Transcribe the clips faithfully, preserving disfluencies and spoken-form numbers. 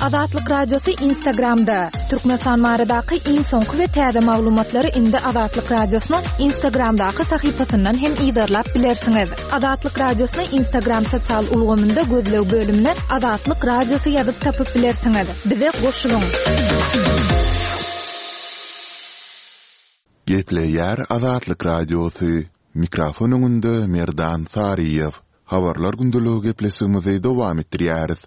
Azatlyk Radiosy Instagramda. Türkmenistan baradaky iň soňky we täze maglumatlary indi Azatlyk Radiosynyň Instagramdaky sahypasyndan hem yzarlap bilersiňiz. Azatlyk Radiosyny Instagram sosial ulgamynda gözleg bölümine Azatlyk Radiosy ýazyp tapyp bilersiňiz. Bize goşulyň. Gepleýär Azatlyk Radiosy. Mikrofon öňünde Merdan Saryýew. Habarlar gündeligi gepleşigimizi dowam etdirýäris.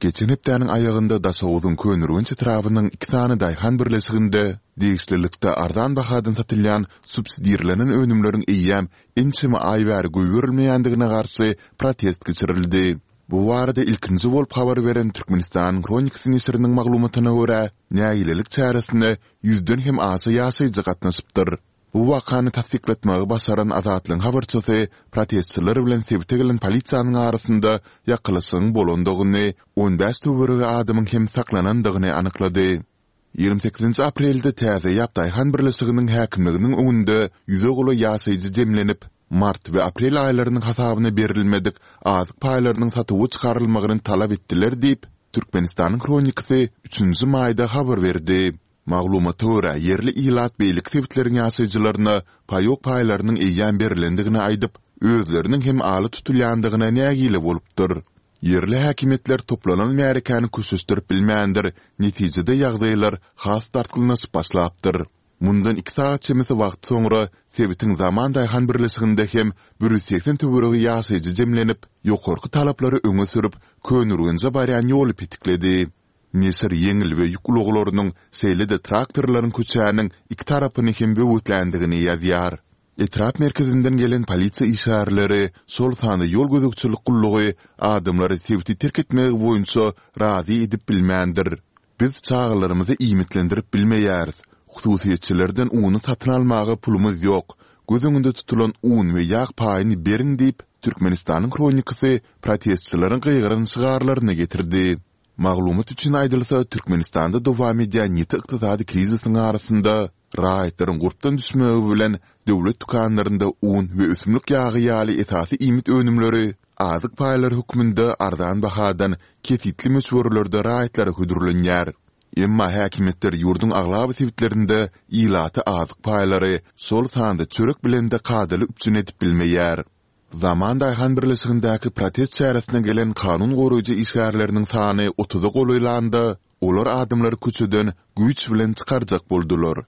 Geçen hepdäniň aýagynda Daşoguzyň Köneürgenç etrabynyň iki sany daýhan birleşiginde degişlilikde arzan bahadan satylýan subsidirlenen önümleriň eýýäm ençeme aý bäri goýberilmeýändigine garşy protest geçirildi. Bu barada ilkinji bolup habar beren Türkmenistanyň Hronikasy neşiriniň maglumatyna görä, nägilelik çäresine ýüzden hem aşa ýaşaýjy gatnaşypdyr. Bu wakany tassyklatmagy başaran Azatlygyň habarçysy protestçiler bilen sebite gelen polisiýanyň arasynda ýakalaşygyň bolandygyny, on bäş töweregi adamyň hem saklanandygyny anyklady. Ýigrimi sekizinji aprelde Täze Ýap daýhan birleşiginiň häkimliginiň öňünde ýüze golaý ýaşaýjy jemlenip, mart we aprel aýlarynyň hasabyna berilmedik azyk paýlarynyň satuwa çykarylmagyny talap etdiler diýip, Türkmenistanyň Hronikasy üçünji maýda habar berdi. Maglumata görä, ýerli ilat beýleki sebitleriň ýaşaýjylaryna paýok paýlarynyň eýýäm berlendigini aýdyp, özleriniň hem ala tutulýandygyna nägile bolupdyr. Ýerli häkimiýetler toplanan märekäni köşeşdirip bilmändir, netijede ýagdaýlar has dartgynlaşyp başlapdyr. Mundan iki sagat çemesi wagt soňra sebitiň Zaman daýhan birleşiginde hem bir ýüz segsen töweregi ýaşaýjy jemlenip, ýokarky talaplary öňe sürüp, Köneürgenje barýan ýoly petikledi. Neşir ýeňil we ýük ulaglarynyň, şeýle-de traktorlaryň köçäniň iki tarapyny hem böwetländigini ýazýar. Etrap merkezinden gelen polisiýa işgärleri, şol sanda ýol gözegçilik gullugy adamlary sebiti terk etmegi boýunça razy edip bilmändir. Biz çagalarymyzy iýmitlendirip bilmeýäris. Hususyýetçilerden uny satyn almaga pulumyz ýok. Göz öňünde tutulan un we ýag paýyny beriň diýip, Türkmenistanyň Hronikasy protestçileriň gygyran şygarlaryny getirdi. Maglumat üçin aýdylsa, Türkmenistanda dowam edýän ýiti ykdysady krizisiň arasynda, raýatlaryň gurpdan düşmegi bilen döwlet dükanlarynda un we ösümlik ýagy ýaly esasy iýmit önümleri azyk paýlary hökmünde arzan bahadan kesgitli möçberlerde raýatlara hödürlenýär. Emma häkimiýetler ýurduň aglaba sebitlerinde ilaty azyk paýlary, şol sanda çörek bilen-de kadaly üpjün edip bilmeýär. Zaman daýhan birleşigindäki protest çäresine gelen kanun goraýjy işgärleriniň sany otuza golaýlanda, olar adamlary köçeden güýç bilen çykarjak boldular.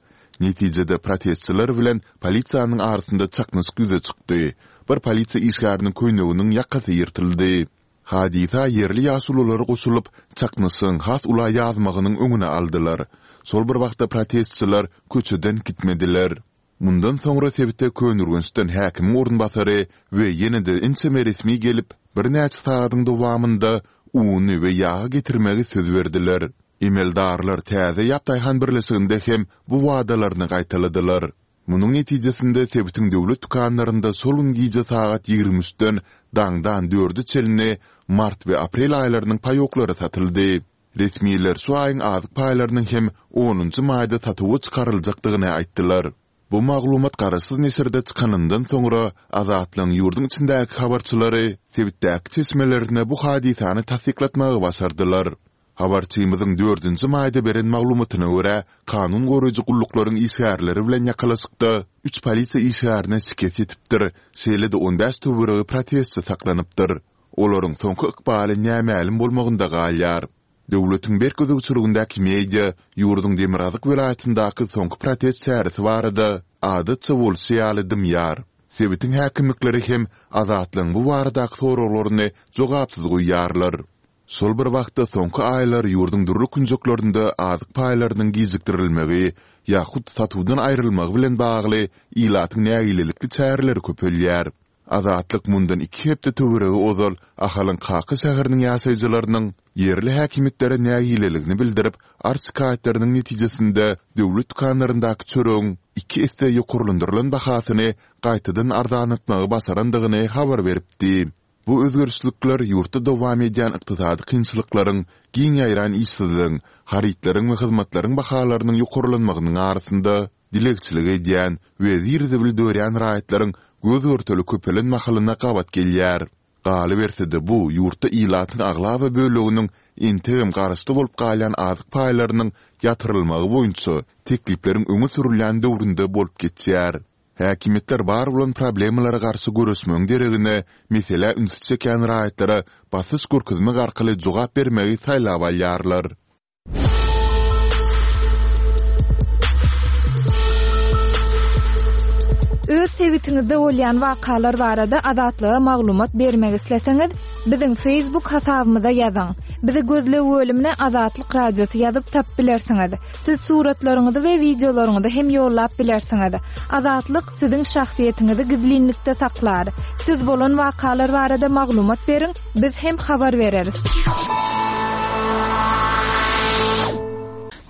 Netijede protestçiler bilen polisiýanyň arasynda çaknyşyk ýüze çykdy. Bir polisiýa işgäriniň köýneginiň ýakasy ýyrtyldy. Hadysa ýerli ýaşulular goşulyp, çaknyşygyň has ula ýazmagynyň öňüni aldylar. Şol bir wagtda protestçiler köçeden gitmediler. Mundan soňra sebite Köneürgençden häkimiň orunbasary we ýene-de ençeme resmi gelip, birnäçe sagadyň dowamynda uny we ýagy getirmegi söz berdiler. Emeldarlar Täze Ýap daýhan birleşiginde hem bu wadalaryny gaýtaladylar. Munuň netijesinde sebitiň döwlet dükanlarynda şol gün gije sagat ýigrimi üçden daňdan dörde çenli mart we aprel aýlarynyň paýoklary satyldy. Resmiler şu aýyň azyk paýlarynyň hem onunjy maýda satuwa çykaryljakdygyny aýtdylar. Bu maglumat garaşsyz neşirde çykanyndan soňra, Azatlygyň ýurduň içindäki habarçylary sebitdäki çeşmelerine bu hadysany tassyklatmagy başardylar. Habarçymyzyň dördünji maýda beren maglumatyna görä, kanun goraýjy gulluklaryň işgärleri bilen ýakalaşykda üç polisiýa işgärine şikes ýetipdir, şeýle-de on bäş töweregi protestçi saklanypdyr. Olaryň soňky ykbaly nämälim bolmagynda galýar. Döwletiň berk gözegçiligindäki media ýurduň demirgazyk welaýatyndaky soňky protest çäresi barada, adatça bolşy ýaly, dymýar. Sebitiň häkimlikleri hem Azatlygyň bu baradaky soraglaryny jogapsyz goýýarlar. Şol bir wagtda, soňky aýlar ýurduň dürli künjeklerinde azyk paýlarynyň gijikdirilmegi ýa hut satuwdan aýrylmagy bilen bagly ilatyň nägilelikli çäreleri köpelýär. Azatlyk mundan iki hepde töweregi ozal Ahalyň Kaka şäheriniň ýaşaýjylarynyň ýerli häkimiýetlere nägileligini bildirip, arz-şikaýatlarynyň netijesinde döwlet dükanlaryndaky çöregiň iki esse ýokarlandyrylan bahasyny gaýtadan arzanlatmagy başarandygyny habar beripdi. Bu özgerişlikler ýurtda dowam edýän ykdysady kynçylyklaryň, giň ýaýran işsizligiň, harytlaryň we hyzmatlaryň bahalarynyň ýokarlanmagynyň arasynda dilegçilik edýän we zir-zibil dörýän raýatlaryň göz-görtele köpelen mahalyna gabat gelýär. Galyberse-de, bu ýurtda ilatyň aglaba böleginiň entegem garaşly bolup galýan azyk paýlarynyň ýatyrylmagy boýunça teklipleriň öňe sürülýän döwründe bolup geçýär. Häkimiýetler bar bolan problemalara garşy göreşmegiň deregine, meselä ünsi çekýän raýatlara basyş görkezmek arkaly jogap bermegi saýlap alýarlar. Öz sebitiňizde bolýan wakalar barada Azatlyga maglumat bermek isleseňiz, biziň Facebook hasabymyza ýazyň. Bizi gözleg bölümine Azatlyk Radiosy ýazyp tapyp bilersiňiz. Siz suratlaryňyzy we wideolaryňyzy hem ýollap bilersiňiz. Azatlyk siziň şahsyýetiňizi gizlinlikde saklar. Siz bolan wakalar barada maglumat beriň, biz hem habar bereris.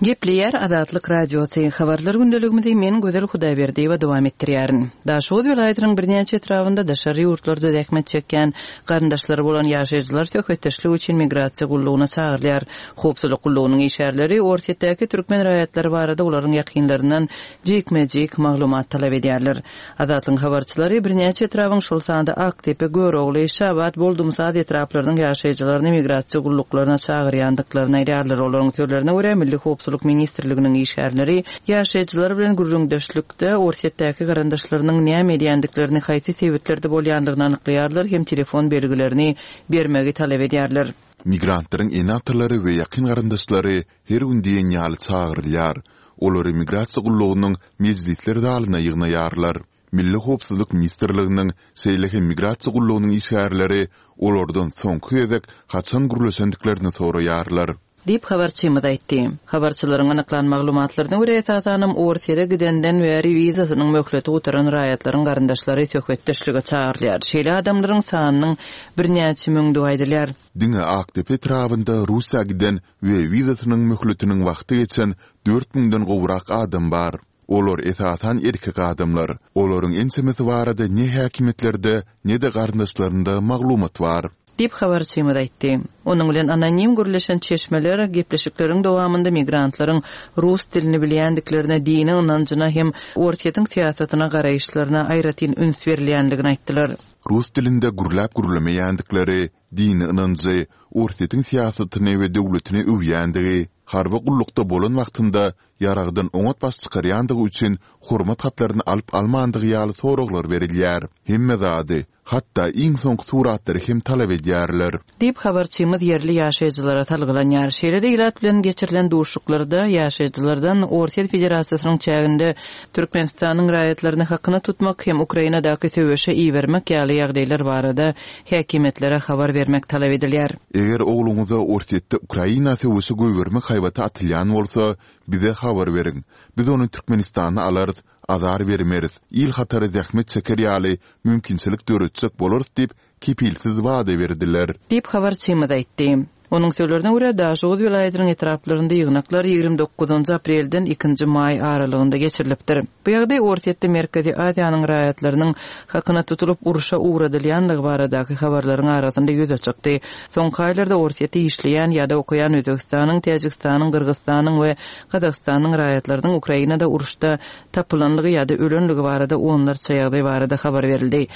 Gepleýär Azatlyk Radiosy. Habarlar gündeligimizi men Gözel Hudaýberdiýewa dowam etdirýärin. Daşoguz welaýatynyň birnäçe etrabynda daşary ýurtlarda zähmet çekýän garyndaşlary bolan ýaşaýjylar söhbetdeşlik üçin migrasiýa gullugyna çagyrylýar. Howpsuzlyk gullugynyň işgärleri Orsýetdäki türkmen raýatlary barada olaryň ýakynlaryndan jikme-jik maglumat talap edýärler. Azatlygyň habarçylary birnäçe etrabyň şol sanda Aktepe, Görogly, Şabat, Boldumsaz etraplarynyň ýaşaýjylaryny migrasiýa gulluklaryna çagyrýandyklaryny aýdýarlar. Olaryň sözlerine görä Milli Howpsuzlyk Ministrliginiň işgärleri ýaşaýjylar bilen gürrüňdeşlikde Orsýetdäki garyndaşlarynyň näme edýändiklerini, haýsy sebetlerde bolýandygyny anyklaýarlar hem telefon belgilerini bermegi talap edýärler. Migrantlaryň ene-atalary we ýakyn garyndaşlary her gün diýen ýaly çagyrylýar. Olary migrasiýa gullugynyň mejlisler zalyna ýygnaýarlar. Milli Howpsuzlyk Ministrliginiň, şeýle hem migrasiýa gullugynyň işgärleri olardan soňky gezek haçan gürleşendiklerini soraýarlar. Diýip habarçymyz aýtdy. Habarçylaryň anyklan maglumatlaryna görä esasanam Orsýete gidenden bäri wizasynyň möhleti gutaran raýatlaryň garyndaşlary söhbetdeşlige çagyrylýar. Şeýle adamlaryň sanynyň birnäçe müňdügi aýdylýar. Diňe Aktepe etrabynda Russiýa giden we wizasynyň möhletiniň wagty geçen dört müňden gowrak adam bar. Olar esasan erkek adamlar. Olaryň ençemesi barada ne häkimiýetlerde, ne-de garyndaşlarynda maglumat bar. Diýip habarçymyz aýtdy. Onuň bilen anonim gürleşen çeşmeler gepleşikleriň dowamynda migrantlaryň rus dilini bilýändiklerine, dini ynanjyna hem Orsýetiň syýasatyna garaýyşlaryna aýratyn üns berilýändigini aýtdylar. Rus dilinde gürläp gürlemeýändikleri, dini ynanjy, Orsýetiň syýasatyny we döwletini öwýändigi, harby gullukda bolan wagtynda ýaragdan oňat baş çykarýandygy üçin hormat hatlaryny alyp almandygy ýaly soraglar berilýär. Hemme zady, hatda iň soňky suratlary hem talap edýärler. Diýip habarçymyz ýerli ýaşaýjylara salgylanýar. Şeýle-de ilat bilen geçirilen duşuşyklarda ýaşaýjylardan Orsýet Federasiýasynyň çäginde Türkmenistanyň raýatlaryny hakyna tutmak hem Ukrainadaky söweşe ibermek ýaly ýagdaýlar barada häkimiýetlere habar bermek talap edilýär. Eger ogluňyza Orsýetde Ukraina söweşe goýbermek haýbaty atylýan bolsa, bize habar beriň. Biz ony Türkmenistana alarys, azar bermeris, il hatary zähmet çeker ýaly mümkinçilik döretjek bolarys diýip kepilsiz wada berdiler. Diýip habarçymyz aýtdy. Onuň sözlerine görä Daşoguz welaýatynyň etraplarynda ýygnaklar ýigrimi dokuzynjy aprelden ikinji maý aralygynda geçirilipdir. Bu ýagdaý Orsýetde Merkezi Aziýanyň raýatlarynyň hakyna tutulyp urşa ugradylýanlygy baradaky habarlaryň arasynda ýüze çykdy. Soňky aýlarda Orsýetde işleýän ýa-da okaýan Özbekistanyň, Täjikistanyň, Gyrgyzystanyň we Gazagystanyň raýatlarynyň Ukrainada uruşda tapylanlygy ýa-da ölenligi barada onlarça ýagdaý barada habar berildi.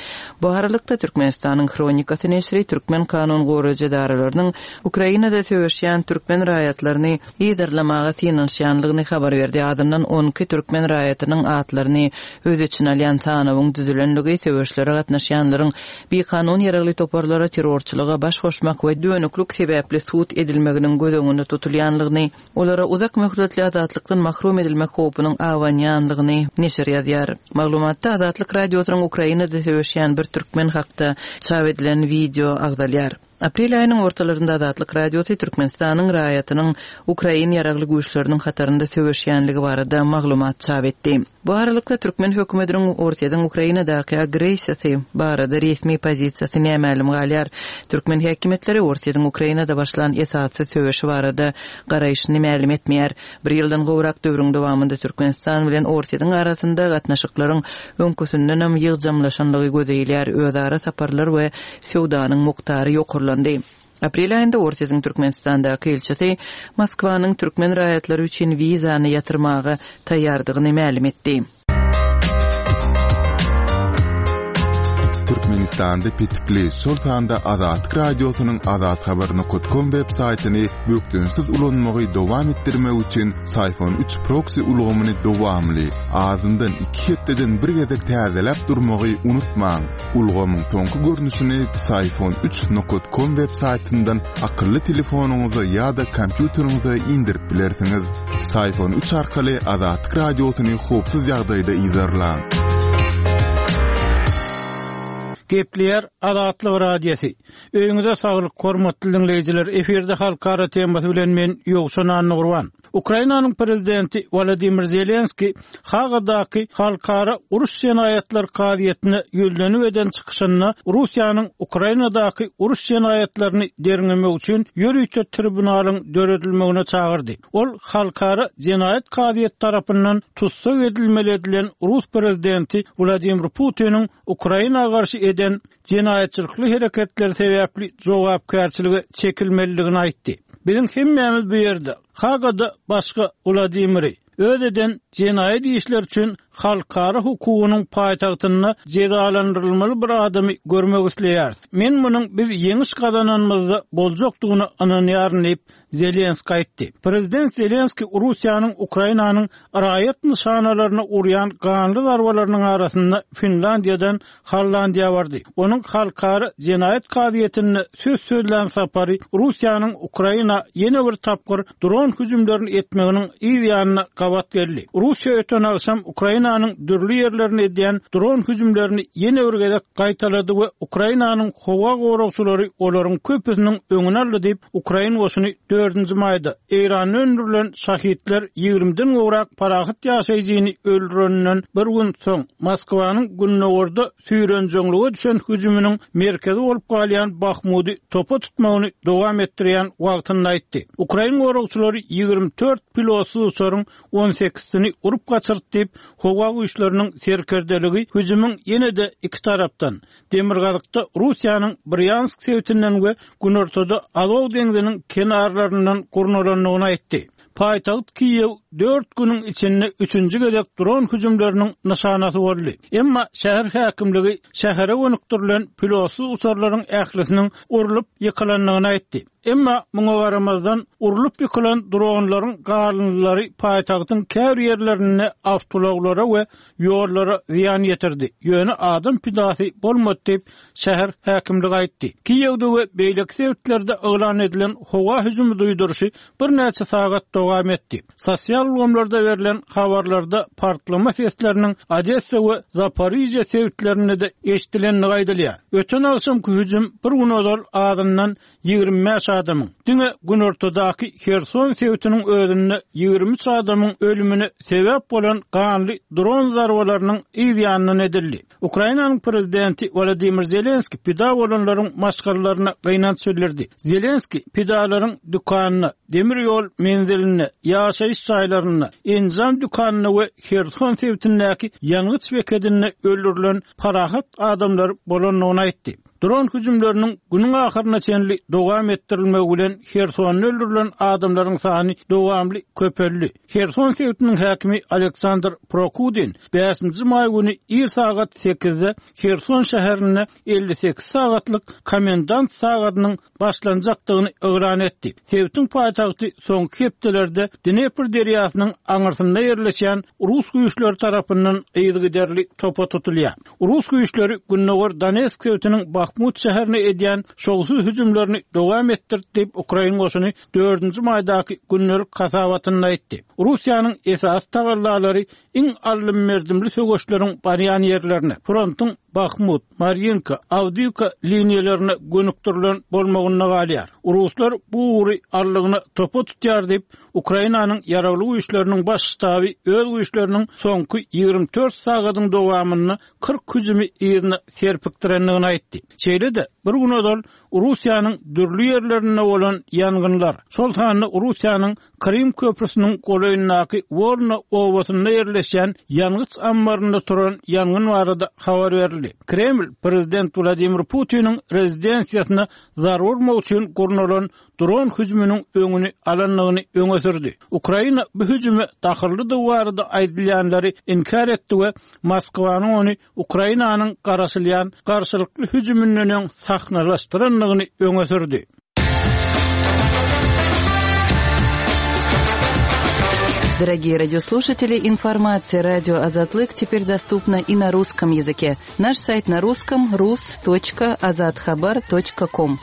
Bu aralykda Türkmenistanyň Hronikasy neşiri Türkmen kanun goraýjy edaralarynyň Ukrainada söweşýän türkmen raýatlaryny yzarlamaga synanyşýanlygyny habar berdi. Adyndan on iki türkmen raýatynyň atlaryny öz içine alýan sanawyň düzülenligi, söweşlere gatnaşýanlaryň bikanun ýaragly toparlara terrorçylyga baş goşmak we dönüklük sebäpli sud edilmeginiň göz öňünde tutulýanlygyny, olara uzak möhletli azatlykdan mahrum edilmek howpunyň awanýanlygyny neşir ýazýar. Maglumatda Azatlyk Radiosynyň Ukrainada söweşýän bir türkmen hakda çap edilen video agzalýar. Aprel aýynyň ortalarynda Azatlyk Radiosy Türkmenistanyň raýatynyň Ukrain ýaragly güýçleriniň hatarynda söweşýänligi barada maglumat çap etdi. Bu aralykda türkmen hökümetiniň Orsýetiň Ukrainadaky agressiýasy barada resmi pozisiýasy nämälim galýar. Türkmen häkimiýetleri Orsýetiň Ukrainada başlan esasy söweşi barada garaýşyny mälim etmeýär. Bir ýyldan gowrak döwrüň dowamynda Türkmenistan bilen Orsýetiň arasynda gatnaşyklaryň öňküsindenem ýygjamlaşanlygy gözeýilýär. Özara saparlar we söwdanyň mukdary ýokarlandy. Aprel aýynda Orsýetiň Türkmenistandaky ilçisi Moskwanyň türkmen raýatlary üçin wizany ýatyrmaga taýýardygyny mälim etdi. Türkmenistanda petikli, şol sanda Azatlyk Radiosynyň azathabar nokat kom web saýtyny bökdençsiz ulanmagy dowam etdirmek üçin Syfon üç proksi ulgamyny dowamly, azyndan iki hepdeden bir gezek täzeläp durmagy unutmaň. Ulgamyň soňky görnüşini Syfon üç nokat kom web saýtyndan akylly telefonyňyza ýa-da kompýuteriňize indirip bilersiňiz. Syfon üç arkaly Azatlyk Radiosyny howpsuz ýagdaýda yzarlaň. Gepleýär Azatlyk Radiosy. Öýüňize saglyk, hormatly dinleýjiler. Efirde halkara temasy bilen men Ýowşan Annagurban. Ukrainanyň prezidenti Wladimir Zelenski Hagadaky halkara uruş jenaýatlar kazyýetine ýüzlenip eden çykyşynda Russiýanyň Ukrainadaky uruş jenaýatlaryny derňemek üçin ýörite tribunalyň döredilmegine çagyrdy. Ol halkara jenaýat kazyýet tarapyndan tussag edilmeli edilen Rus prezidenti Wladimir Putiniň Ukraina garşy eden jenaýatçylykly hereketleri sebäpli jogapkärçilige çekilmelidigini aýtdy. Biziň hemmämiz bu ýerde Hagada başga Wladimiri öz eden jenaýat işleri üçin halkara hukugynyň paýtagtynda jezalandyrylmaly bir adamy görmek isleýäris. Men munuň biz ýeňiş gazananymyzda boljakdygyna ynanýaryn diýip Zelenski aýtdy. Prezident Zelenski Russiýanyň Ukrainanyň raýat nyşanalaryna urýan ganly zarbalarynyň arasynda Finlandiýadan Hollandiýa bardy. Onuň halkara jenaýat kazyýetinde söz sözlän sapary Russiýanyň Ukraina ýene bir tapgyr dron hüjümlerini etmeginiň yz ýanyna gabat geldi. Russiýa öten agşam Ukrainanyň dürli ýerlerine edýän dron hüjümlerini ýene bir gezek gaýtalady we Ukrainanyň howa goragçylary olaryň köpüsiniň öňüni aldy diýip Ukrain goşuny dördünji maýda Eýranda öndürilen şahitler ýigrimiden gowrak parahat ýaşaýjyny öldüreninden bir gün soň Moskwanyň gündogarda süýrenjeňlige düşen hüjüminiň merkezi bolup galýan Bahmudy topa tutmagyny dowam etdirýän wagtynda aýtdy. Ukrain goragçylary ýigrimi dört pilotsyz uçaryň on sekizini urup gaçyrdy diýip, howa güýçleriniň serkerdeligi hüjümiň ýene-de iki tarapdan, Demirgazykda Russiýanyň Bryansk sebitinden we Günortada Azow deňziniň kenarlaryndan gurnalandygyny aýtdy. Paýtagt Kiýew dört günüň içinde üçünji gezek dron hüjümleriniň nyşanasy boldy. Emma şäher häkimligi şähere gönükdirilen pilotsyz uçarlaryň ählisiniň urlup ýykylandygyny aýtdy. Emma muňa garamazdan urlup ýykylan dronlaryň galyndylary paýtagtyň käbir ýerlerinde awtoulaglara we ýollara zyýan ýetirdi. Ýöne adam pidasy bolmady diýip şäher häkimligi aýtdy. Kiýewde we beýleki sebitlerde yglan edilen howa hüjümi duýduryşy birnäçe sagat dowam etdi. Sosial ulgamlarda berlen habarlarda partlama sesleriniň Odessa we Zaporizhye sebitlerinde de eşidilendigi aýdylýar. Öten agşamky hüjüm bir gün ozal azyndan ýigrimi bäş adamyň, diňe günortadaky Herson sebitiniň özünde ýigrimi üç adamyň ölümine sebäp bolan ganly dron zarbalarynyň yz ýanyndan edildi. Ukrainanyň prezidenti Wladimir Zelenski pida bolanlaryň maşgalalaryna gynanç bildirdi. Zelenski pidalaryň dükanyna, demir ýol menziline, ýaşaýyş jaýlarynda, enjam dükanyna we Herson sebitindäki ýangyç bekedinde öldürilen parahat adamlar bolandygyny aýtdy. Dron hüjümleriniň günüň ahyryna çenli dowam etdirilmegi bilen Hersonda öldürilen adamlaryň sany dowamly köpeldi. Herson sebitiniň häkimi Aleksandr Prokudin bäşinji maý güni ir sagat sekizde Herson şäherinde elli sekiz sagatlyk komendant sagadynyň başlanjakdygyny yglan etdi. Sebitiň paýtagty soňky hepdelerde Dnepr derýasynyň aňyrsynda ýerleşen Rus güýçleri tarapyndan yzygiderli topa tutulýar. Rus güýçleri Gündogar Donetsk sebitiniň Bahmut şäherine edýän şowsuz hüjümlerini dowam etdirdi diýip Ukrain goşuny dördünji maýdaky gündelik hasabatynda aýtdy. Russiýanyň esasy tagallalary iň aldym-berdimli söweşleriň barýan ýerlerine, frontuň Bahmut, Maryinka, Awdiýewka liniýalarına gönükdirilen bolmagynda galýar. Ruslar bu ugry allygyna topa tutýar diýip Ukrainanyň ýaragly güýçleriniň baş ştaby öz güýçleriniň soňky ýigrimi dört sagadyň dowamynda kyrk hüjümi yzyna serpikdirendigini aýtdy. Şeýle-de Bir gün ozal Russiýanyň dürli ýerlerinde bolan ýangynlar, şol sanda Russiýanyň Krym köprüsiniň golaýyndaky Wolna obasynda ýerleşen ýangyç ammarynda turan ýangyn barada habar berildi. Kreml prezident Wladimir Putiniň rezidensiýasyna zarba urmak üçin gurnalan dron hüjüminiň öňüni alandygyny öňe sürdi. Ukraina bu hüjüme dahyllydygy barada aýdylýanlary inkär etdi we Moskwanyň ony Ukrainanyň garaşylýan garşylykly hüjüminden öň sahnalaşdyrandygyny öňe sürdi. Дорогие радиослушатели, информация радио Азатлык теперь доступна и на русском языке. Наш сайт на русском rus.azathabar.com.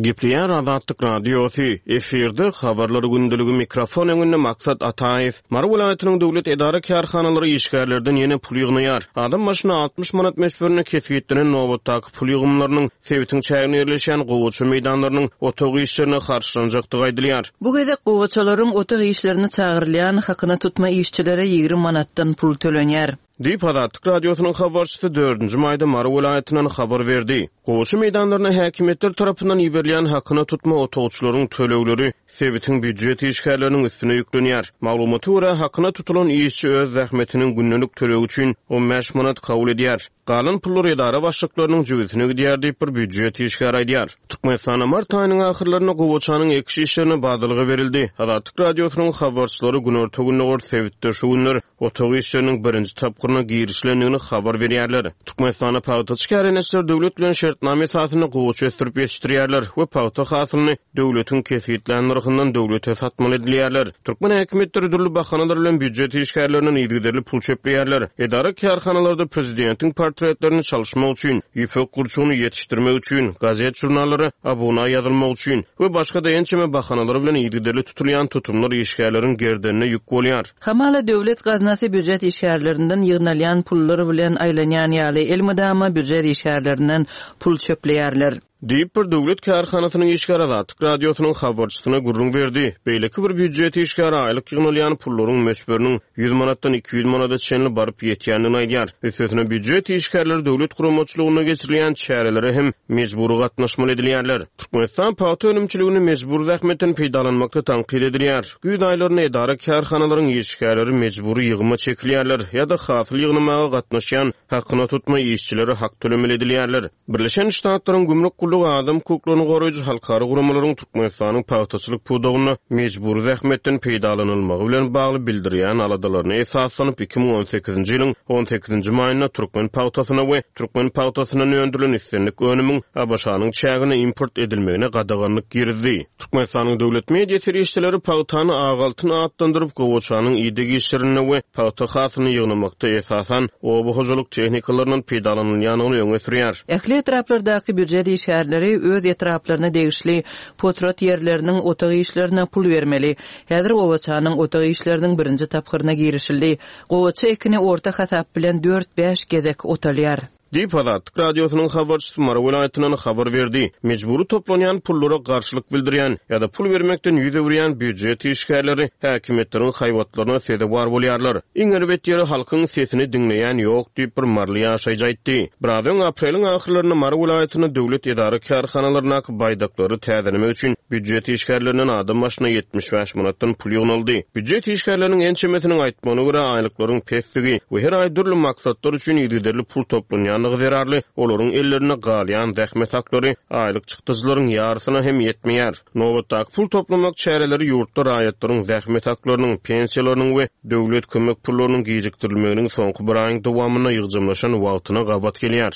Gepleýär Azatlyk Radiosy, efirde habarlar gündeligi mikrofon öňünde Maksat Ataýew. Mary welaýatynyň döwlet edara kärhanalary işgärlerden ýene pul ýygnaýar. Adam başyna altmyş manat möçberinde kesgitlenen nobatdaky pul ýygymlarynyň sebitiň çäginde ýerleşýän gowaça meýdanlarynyň otag işlerine harçlanjakdygy aýdylýar. Bu gezek gowaçalaryň otag işlerine çagyrylýan hakyna tutma işçilere ýigrimi manatdan pul tölenýär. Diýip Azatlyk Radiosynyň habarçysy dördünji maýda Mary welaýatyndan habar berdi. Gowaça meýdanlaryna häkimiýetler tarapyndan iberilýän hakyna tutma otagçylaryň tölegleri sebitiň býujet işgärleriniň üstüne ýüklenýär. Maglumata görä hakyna tutulan işçi öz zähmetiniň gündelik tölegi üçin on bäş manat kabul edýär. Galan pullar edara başlyklarynyň jübüsine gidýär diýip bir býujet işgäri aýdýar. Türkmenistanda mart aýynyň ahyrlarynda gowaçanyň ekiş işlerine badalga berildi. Azatlyk Radiosynyň habarçylary günorta gündogar sebitde şu günler otag işleriniň birinji tapgyryna girişilendigini habar berýärler. Türkmenistanda pagtaçy kärendeçiler döwlet bilen şertnama esasynda gowaça ösdürip ýetişdirýärler we pagta hasylyny döwletiň kesgitlän nyrhyndan döwlete satmaly edilýärler. Türkmen häkimiýetleri dürli bahanalar bilen býujet işgärlerinden yzygiderli pul çöpleýärler. Edara kärhanalarda prezidentiň portretlerini çalyşmak üçin, ýüpek gurçugyny ýetişdirmek üçin, gazet jurnallara abuna ýazylmak üçin we başga da ençeme bahanalar bilen yzygiderli tutulýan tutumlar işgärleriň gerdenine ýük bolýar. Hamala döwlet gaznasy býujet işgärlerinden ýygnalýan pullar bilen aýlanýan ýaly elmydama býujet işgärlerinden pul çöpleýärler. Diýip bir döwlet kärhanasynyň işgäri Azatlyk Radiosynyň habarçysyna gürrüň berdi. Beýleki bir býujet işgäri aýlyk ýygnalýan pullaryň möçberiniň ýüz manatdan iki ýüz manada çenli baryp ýetýändigini aýdýar. Üstesine býujet işgärleri döwlet guramaçylygynda geçirilýän çärelere hem mejbury gatnaşmaly edilýärler. Türkmenistan pagta önümçiligini mejbur zähmetden peýdalanmakda tankyt edilýär. Güýz aýlarynda edara kärhanalaryň işgärleri mejbury ýygyma çekilýärler ýa-da hasyl ýygnamaga gatnaşýan hakyna tutma işçileri hak tölemeli edilýärler. Birleşen Ştatlaryň gümrük gullugy adam hukuklaryny goraýjy halkara guramalaryň Türkmenistanyň pagtaçylyk pudagynda mejbury zähmetden peýdalanylmagy bilen bagly bildirýän aladalaryna esaslanyp iki müň on sekizinji ýylyň on sekizinji maýynda türkmen pagtasyna we türkmen pagtasyndan öndürilen islendik önümiň ABŞ-nyň çägine import edilmegine gadaganlyk girizdi. Türkmenistanyň döwlet media serişdeleri pagtany ak altyn atlandyryp gowaçanyň ideg işlerinde we pagta hasylyny ýygnamakda esasan oba hojalyk tehnikalaryndan peýdalanylýandygyny öňe sürýär. Ähli etraplardaky býujet işgärleri öz etraplaryna degişli potrat ýerleriniň otag işlerine pul bermeli. Häzir gowaçanyň otag işleriniň birinji tapgyryna girişildi. Gowaça ekini orta hasap bilen dört bäş gezek otalýar. Diýip Azatlyk Radiosynyň habarçysy Mary welaýatyndan habar berdi. Mejbury toplanýan pullara garşylyk bildirýän ýa-da pul bermekden ýüz öwürýän býujet işgärleri häkimiýetleriň haýbatlaryna sezewar bolýarlar. Iň erbet ýeri halkyň sesini diňleýän ýok diýip bir maryly ýaşaýjy aýtdy. Biraz öň apreliň ahyrlarynda Mary welaýatynda döwlet edara kärhanalaryndaky baýdaklary täzelemek üçin býujet işgärlerinden adam başyna ýetmiş bäş manatdan pul ýygnaldy. Býujet işgärleriniň ençemesiniň aýtmagyna görä aýlyklaryň pesdigi we her aý dürli maksatlar üçin yzygiderli pul toplanýandygy zerarly olaryň ellerinde galýan zähmet haklary aýlyk çykdyjylaryň ýarysyna hem ýetmeýär. Nobatdaky pul toplamak çäreleri ýurtda raýatlaryň zähmet haklarynyň, pensiýalarynyň we döwlet kömek pullarynyň gijikdirilmeginiň soňky bir aýyň dowamynda ýygjamlaşan wagtyna gabat gelýär.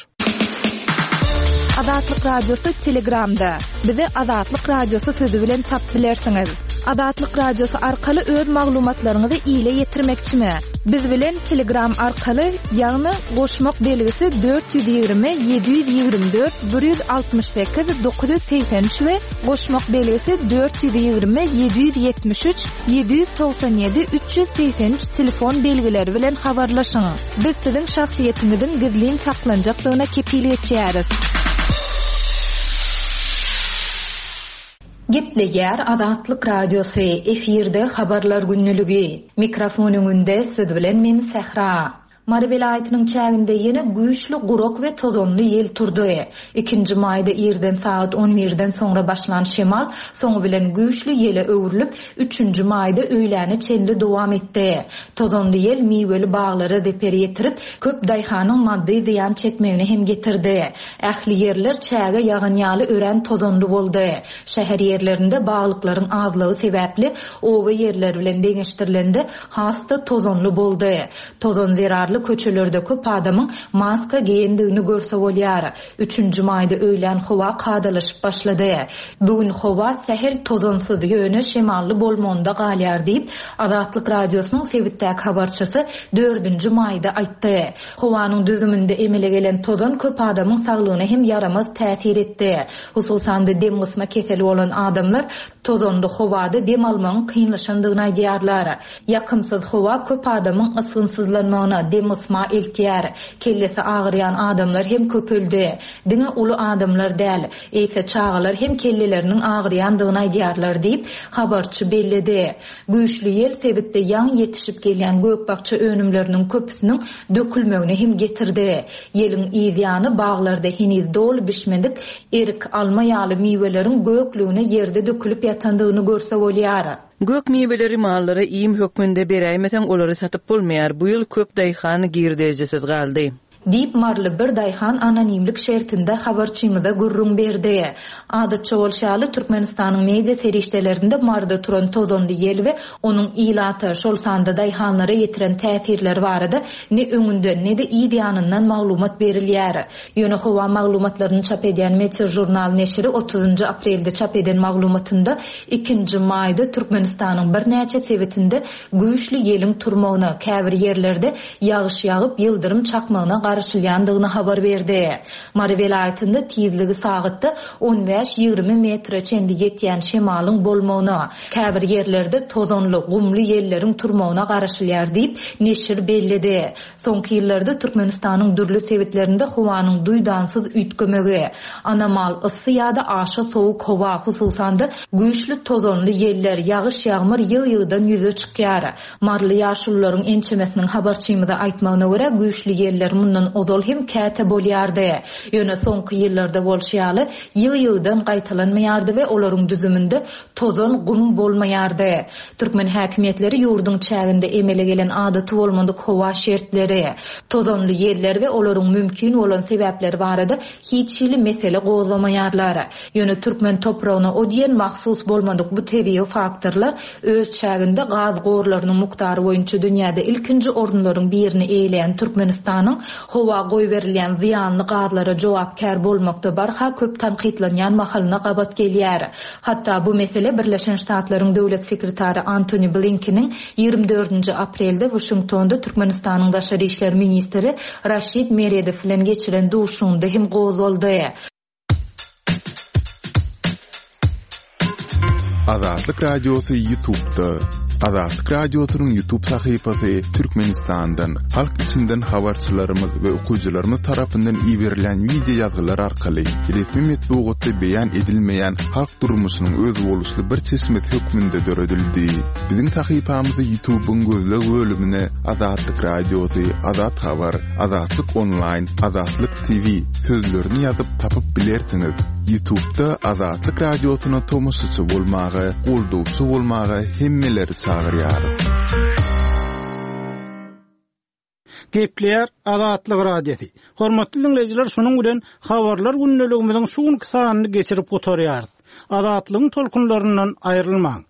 Azatlyk Radiosy Telegramda. Bizi Azatlyk Radiosy sözü bilen tap bilersiňiz. Azatlyk Radiosy arkaly öz maglumatlaryňyzy ile ýetirmekçimi? Biz bilen Telegram arkaly, ýagny goşmak belgisi dört ýüz ýigrimi, ýedi ýüz ýigrimi dört, bir ýüz altmyş sekiz, dokuz ýüz segsen üç we goşmak belgisi dört ýüz ýigrimi, ýedi ýüz ýetmiş üç, ýedi ýüz togsan ýedi, üç ýüz segsen üç telefon belgileri bilen habarlaşyň. Biz siziň şahsyýetiňiziň gizlin saklanjakdygyna kepil geçýäris. Gepleýär Azatlyk Radiosy, efirde habarlar günlügi. Mikrofon öňünde siz bilen men Sähra. Mary welaýatynyň çäginde ýene güýçli gurak we tozanly ýel turdy. Ikinji maýda irden sagat on birden soňra başlan şemal soňy bilen güýçli ýele öwrülip, üçünji maýda öýläne çenli dowam etdi. Tozanly ýel miweli baglara zeper ýetirip, köp daýhanyň maddy zyýan çekmegine hem getirdi. Ähli ýerler çäge ýagan ýaly örän tozanly boldy. Şäher ýerlerinde baglyklaryň azlygy sebäpli oba ýerleri bilen deňeşdirilende has-da tozanly boldy. Tozan zerarly köçelerde köp adamyň maska geýendigini görse bolýar. Üçünji maýda öýlän howa kadalaşyp başlady. Bu gün howa sähel tozansyz, ýöne şemally bolmagynda galýar diýip, Azatlyk Radiosynyň sebitdäki habarçysy dördünji maýda aýtdy. Howanyň düzüminde emele gelen tozan köp adamyň saglygyna hem ýaramaz täsir etdi. Hususan-da dem gysma keseli bolan adamlar tozanly howada dem almagyň kynlaşandygyny aýdýarlar. Ýakymsyz howa köp adamyň ysgynsyzlanmagyna, dem gysma eltýär. Kellesi agyrýan adamlar hem köpeldi. Diňe uly adamlar däl, eýse çagalar hem kelleleriniň agyrýandygyny aýdýarlar diýip, habarçy belledi. Güýçli ýel sebitde ýaňy ýetişip gelýän gök-bakja önümleriniň köpüsiniň dökülmegine hem getirdi. Ýeliň yzýany baglarda heniz doly bişmedik erik, alma ýaly miweleriň göklügine ýerde dökülip ýatandygyny görse bolýar. Gök miweleri mallara iým hökmünde beräýmeseň olary satyp bolmaýar. Bu ýyl köp daýhan girdejisiz galdy. Diýip Marly bir daýhan anonimlik şertinde habarçymyza gürrüň berdi. Adatça bolşy ýaly Türkmenistanyň media serişdelerinde Marda turan tozanly ýel we onuň ilata, şol sanda daýhanlara ýetiren täsirleri barada ne öňünden ne-de yz ýanyndan maglumat berilýär. Ýöne howa maglumatlaryny çap edýän Meteo Jurnal neşiri otuzynjy aprelde çap eden maglumatynda ikinji maýda Türkmenistanyň birnäçe sebitinde güýçli ýeliň turmagyna, käbir ýerlerde ýagyş ýagyp ýyldyrym çakmagyna garaşylýandygyny habar berdi. Mary welaýatynda tizligi sagatda on bäş ýigrimi metre çenli ýetýän şemalyň bolmagyna, käbir ýerlerde tozanly, gumly ýelleriň turmagyna garaşylýar diýip neşir belledi. Soňky ýyllarda Türkmenistanyň dürli sebitlerinde howanyň duýdansyz üýtgemegi, anomal yssy ýa-da aşa sowuk howa, hususan-da güýçli tozanly ýeller, ýagyş ýagmyr ýygy-ýygydan ýüze çykýar. Marly ýaşulularyň ençemesiniň habarçymyza aýtmagyna görä güýçli ýeller mundan ozal hem käte bolýardy. Ýöne soňky ýyllarda bolşy ýaly ýygy-ýygydan gaýtalanmaýardy we olaryň düzüminde tozan gum bolmaýardy. Türkmen häkimiýetleri ýurduň çäginde emele gelen adaty bolmadyk howa şertleri, tozanly ýeller we olaryň mümkin bolan sebäpleri barada hiç hili mesele gozgamaýarlar. Ýöne türkmen topragyna o diýen mahsus bolmadyk bu tebigy faktorlar öz çäginde gaz gorlarynyň mukdary boýunça dünýäde ilkinji orunlaryň birini eýeleýän Türkmenistanyň howa goýberilýän zyýanly gazlara jogapkär bolmakda barha köp tankytlanýan mahalyna gabat gelýär. Hatda bu mesele Birleşen Ştatlaryň döwlet sekretary Antony Blinkeniň ýigrimi dördünji aprelde Washingtonda Türkmenistanyň daşary işler ministri Raşid Meredow bilen geçiren duşuşygynda hem gozgaldy. Azatlyk Radiosy YouTube'da. Azatlyk Radiosynyň YouTube sahypasy Türkmenistandan, halk içinden habarçylarymyz we okyjylarymyz tarapyndan iberilen video ýazgylar arkaly resmi metbugatda beýan edilmeýän halk durmuşynyň özboluşly bir çeşmesi hökmünde döredildi. Biziň sahypamyzy YouTube'yň gözleg bölümine Azatlyk Radiosy, Azat Habar, Azatlyk Online, Azatlyk T V sözlerini ýazyp tapyp bilersiňiz. YouTube'da Azatlyk Radiosyna tomaşaçy bolmaga, goldawçy bolmaga hemmeleri çagyrýarys. Gepleýär Azatlyk Radiosy. Hormatly dinleýjiler, şunuň bilen habarlar gündeligimiziň şu günki sanyny geçirip gutarýarys. Azatlygyň tolkunlaryndan aýrylmaň.